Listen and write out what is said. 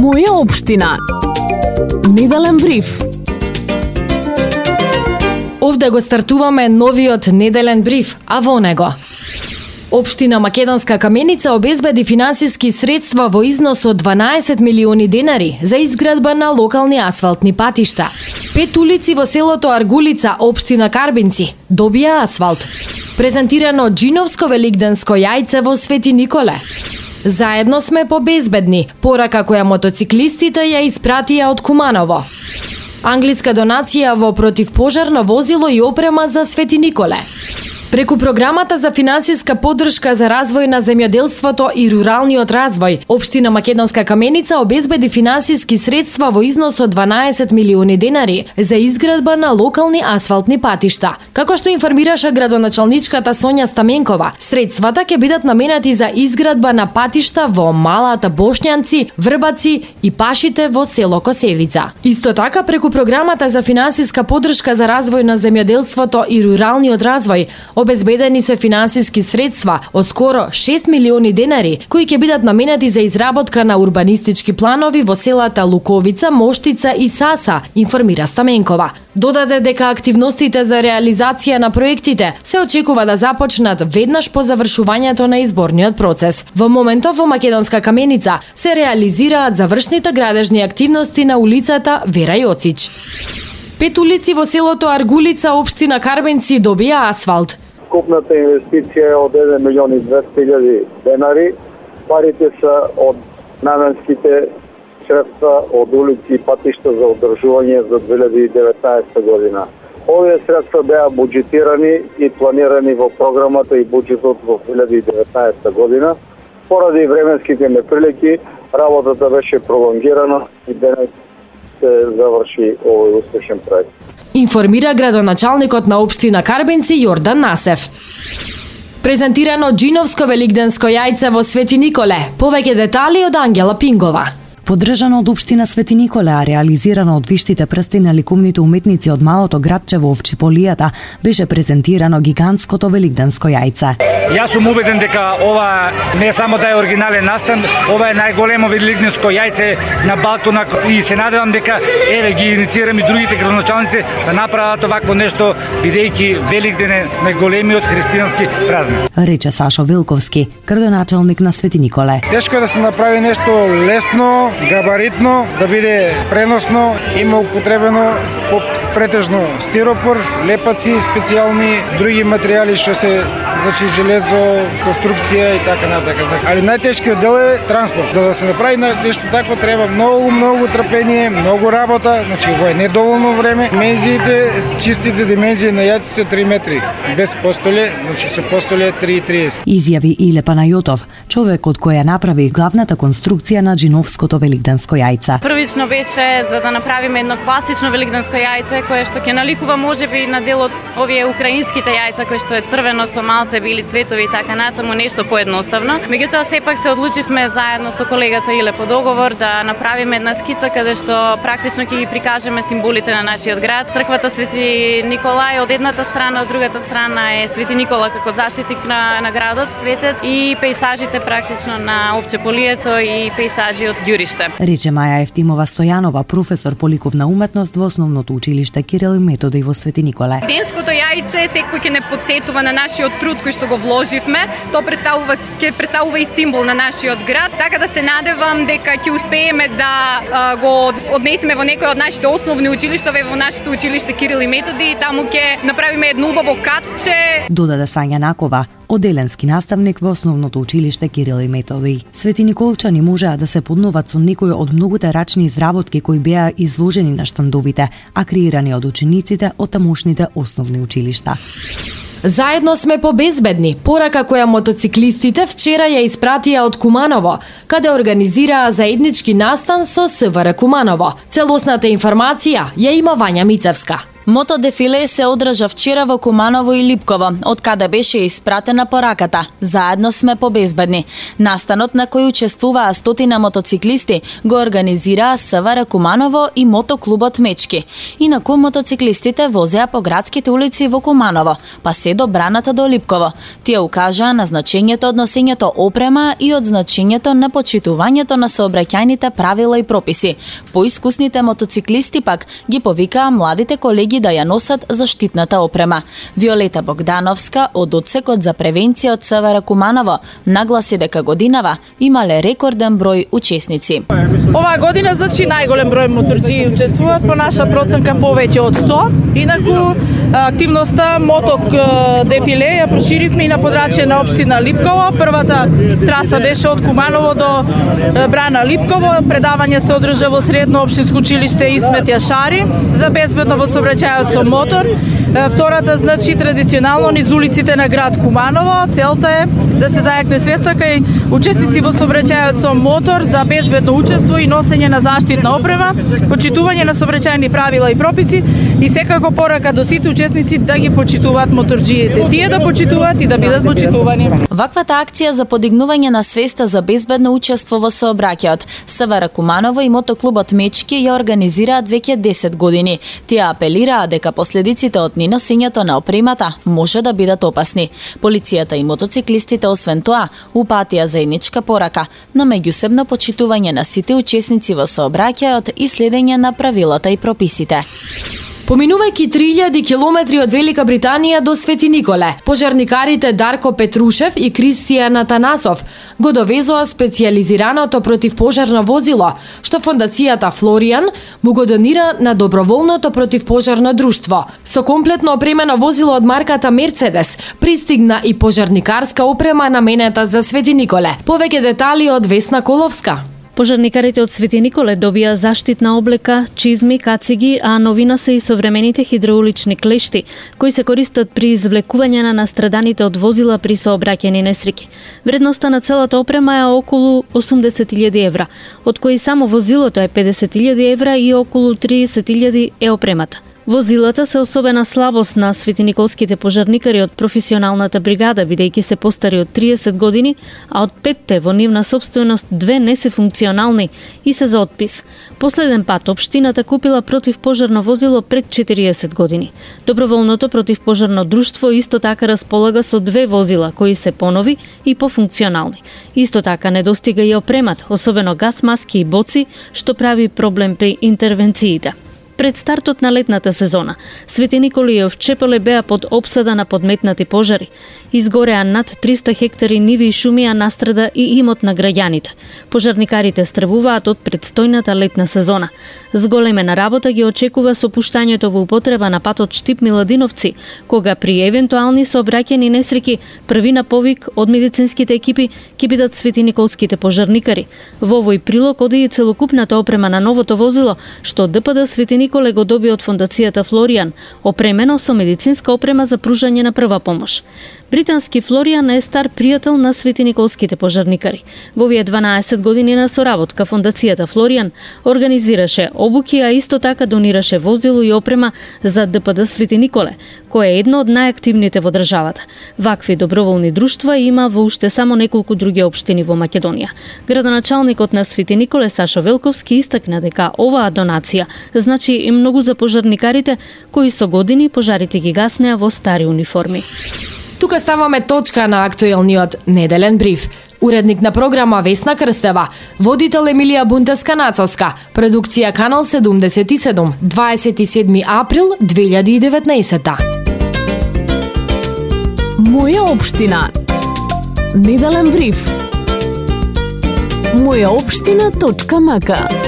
Моја општина. Неделен бриф. Овде го стартуваме новиот неделен бриф, а во него Општина Македонска Каменица обезбеди финансиски средства во износ од 12 милиони денари за изградба на локални асфалтни патишта. 5 улици во селото Аргулица, општина Карбинци, добија асфалт. Презентирано џиновско великденско јајце во Свети Николе. Заедно сме побезбедни, порака која мотоциклистите ја испратија од Куманово. Англиска донација во противпожарно возило и опрема за Свети Николе. Преку програмата за финансиска поддршка за развој на земјоделството и руралниот развој, општина Македонска Каменица обезбеди финансиски средства во износ од 12 милиони денари за изградба на локални асфалтни патишта. Како што информираше градоначалничката Сонја Стаменкова, средствата ќе бидат наменати за изградба на патишта во Малата Бошњанци, Врбаци и пашите во село Косевица. Исто така, преку програмата за финансиска поддршка за развој на земјоделството и руралниот развој, обезбедени се финансиски средства од скоро 6 милиони денари, кои ќе бидат наменати за изработка на урбанистички планови во селата Луковица, Моштица и Саса, информира Стаменкова. Додаде дека активностите за реализација на проектите се очекува да започнат веднаш по завршувањето на изборниот процес. Во моментов во Македонска Каменица се реализираат завршните градежни активности на улицата Вера Јоцич. 5 улици во селото Аргулица, општина Карбенци, добија асфалт. Купната инвестиција е од 1 милион и 200 хиляди денари. Парите се од наменските средства од улици и патишта за одржување за 2019 година. Овие средства беа буџетирани и планирани во програмата и буџетот во 2019 година. Поради временските неприлики, работата беше пролонгирана и денес се заврши овој успешен проект. Информира градоначалникот на општина Карбенци Јордан Насев. Презентирано џиновско великденско јајце во Свети Николе. Повеќе детали од Ангела Пингова. Поддржано од општина Свети Николе, а реализирано од виштите прсти на ликовните уметници од малото градче во Овчиполијата, беше презентирано гигантското великденско јајце. Јас сум убеден дека ова не само да е оригинален настан, ова е најголемо великденско јајце на Балкона и се надевам дека ги инициирам и другите градоначалници да направат овакво нешто, бидејќи Великден е најголемиот христијански празник. Рече Сашо Вилковски, градоначалник на Свети Николе. Тешко е да се направи нешто лесно, габаритно, да биде преносно, има употребено претежно стиропор, лепаци специјални, други материјали што се железо, конструкција и така натака. Али најтешкиот дел е транспорт. За да се направи нешто такво треба многу трпение, многу работа, ова е недоволно време. Димензиите, чистите димензии на јајцето 3 метри, без постоле, со постоле 3,30. Изјави Иле Панајотов, човекот кој ја направи главната конструкција на џиновското великденско јајце. Првично беше за да направиме едно класично великденско јајце кое што ќе наликува можеби на дел од овие украинските јајца кои што е црвено со малце били цветови и така натаму, нешто поедноставно. Меѓутоа сепак се одлучивме заедно со колегата Иле по договор да направиме една скица каде што практично ќе ги прикажеме символите на нашиот град. Црквата Свети Николај од едната страна, од другата страна е Свети Никола како заштитник на градот, светец, и пејсажите практично на Овчеполието и пејсажи од Ѓуриште. Рече Маја Ефтимова Стојанова, професор по ликовна уметност во основното училиште Кирил и Методи во Свети Николе. Денското јајце секој ќе не потсетува на нашиот труд кој што го вложивме. Тоа представува и символ на нашиот град, така да се надевам дека ќе успееме да го однесеме во некој од нашите основни училишта, во нашето училиште Кирил и Методи, и таму ќе направиме едно убаво катче. Додаде Сања Накова, оделенски наставник во основното училиште Кирил и Методи. Свети Николчани можеа да се поднуват со некои од многуте рачни изработки кои беа изложени на штандовите, а креирани од учениците од тамошните основни училишта. Заедно сме побезбедни, порака која мотоциклистите вчера ја испратија од Куманово, каде организираа заеднички настан со СВР Куманово. Целосната информација ја има Вања Мицевска. Мото дефиле се одржа вчера во Куманово и Липково, од каде беше испратена пораката "Заедно сме побезбедни". Настанот на кој учествуваа стотина мотоциклисти го организираа СВР Куманово и мотоклубот Мечки. Инаку мотоциклистите возеа по градските улици во Куманово, па се до браната до Липково. Тие укажаа на значењето од носењето опрема и од значењето на почитувањето на сообраќајните правила и прописи. Поискусните мотоциклисти пак ги повикаа младите колеги да ја носат заштитната опрема. Виолета Богдановска од одсекот за превенција од СВР Куманово нагласи дека годинава имале рекорден број учесници. Оваа година значи најголем број моторџии учествуваат, по наша проценка повеќе од 100. Инаку активноста моток дефиле ја проширивме и на подрачје на општина Липково. Првата траса беше од Куманово до брана Липково. Предавање се одржа во средно општинско училиште Исмет Јашари за безбедно во сообраќајот со мотор. Втората значи традиционално низ улиците на град Куманово. Целта е да се зајакне свеста кај учесници во сообраќајот со мотор за безбедно учество и носење на заштитна опрема, почитување на сообраќајни правила и прописи и секако порака до сите учесници да ги почитуваат моторџиите. Тие да почитуваат и да бидат почитувани. Ваквата акција за подигнување на свеста за безбедно учество во сообраќајот СВР Куманово и мотоклубот Мечки ја организираат веќе 10 години. Тие апелираа дека последиците од неносењето на опремата може да бидат опасни. Полицијата и мотоциклистите освен тоа упатија заедничка порака на меѓусебно почитување на сите учесници во сообраќајот и следење на правилата и прописите. Поминувајќи 3000 километри од Велика Британија до Свети Николе, пожарникарите Дарко Петрушев и Кристијан Атанасов го довезоа специјализираното противпожарно возило, што фондацијата Флоријан му го донира на доброволното противпожарно друштво. Со комплетно опремено возило од марката Мерцедес пристигна и пожарникарска опрема наменета за Свети Николе. Повеќе детали од Весна Коловска. Пожарникарите од Свети Николе добија заштитна облека, чизми, кациги, а новина се и современите хидроулични клешти, кои се користат при извлекување на настраданите од возила при сообраќајни несреќи. Вредноста на целата опрема е околу 80.000 евра, од кои само возилото е 50.000 евра и околу 30.000 е опремата. Возилата се особена слабост на светиниколските пожарникари од професионалната бригада, бидејќи се постари од 30 години, а од 5 во нивна собственост 2 не се функционални и се за отпис. Последен пат општината купила противпожарно возило пред 40 години. Доброволното противпожарно друштво исто така располага со 2 возила кои се понови и пофункционални. Исто така недостига и опремат, особено газ маски и боци, што прави проблем при интервенциите. Пред стартот на летната сезона, Свети Николе и Овчеполе беа под опсада на подметнати пожари. Изгореа над 300 хектари ниви и шуми, а настрада и имот на граѓаните. Пожарникарите стравуваат од предстојната летна сезона. Зголемена работа ги очекува со пуштањето во употреба на патот Штип-Миладиновци, кога при евентуални сообраќајни несреќи први на повик од медицинските екипи ќе бидат светиниколските пожарникари. Во овој прилог оди и целокупната опрема на новото возило, што ДПД Свети Николе го доби од фондацијата Флоријан, опремено со медицинска опрема за пружање на прва помош. Британски Флоријан е стар пријател на светиниколските пожарникари. Во овие 12 години на соработка фондацијата Флоријан организираше обуки, а исто така донираше возило и опрема за ДПД Свети Николе, кој е едно од најактивните во државата. Вакви доброволни друштва има во уште само неколку други општини во Македонија. Градоначалникот на Свети Николе Сашо Велковски истакна дека оваа донација значи и многу за пожарникарите кои со години пожарите ги гаснеа во стари униформи. Тука ставаме точка на актуелниот неделен бриф. Уредник на програма Весна Крстева, водител Емилија Бунтеска-Нацовска, продукција Канал 77, 27 април 2019. Моја општина. Неделен бриф. Мојаопштина.мк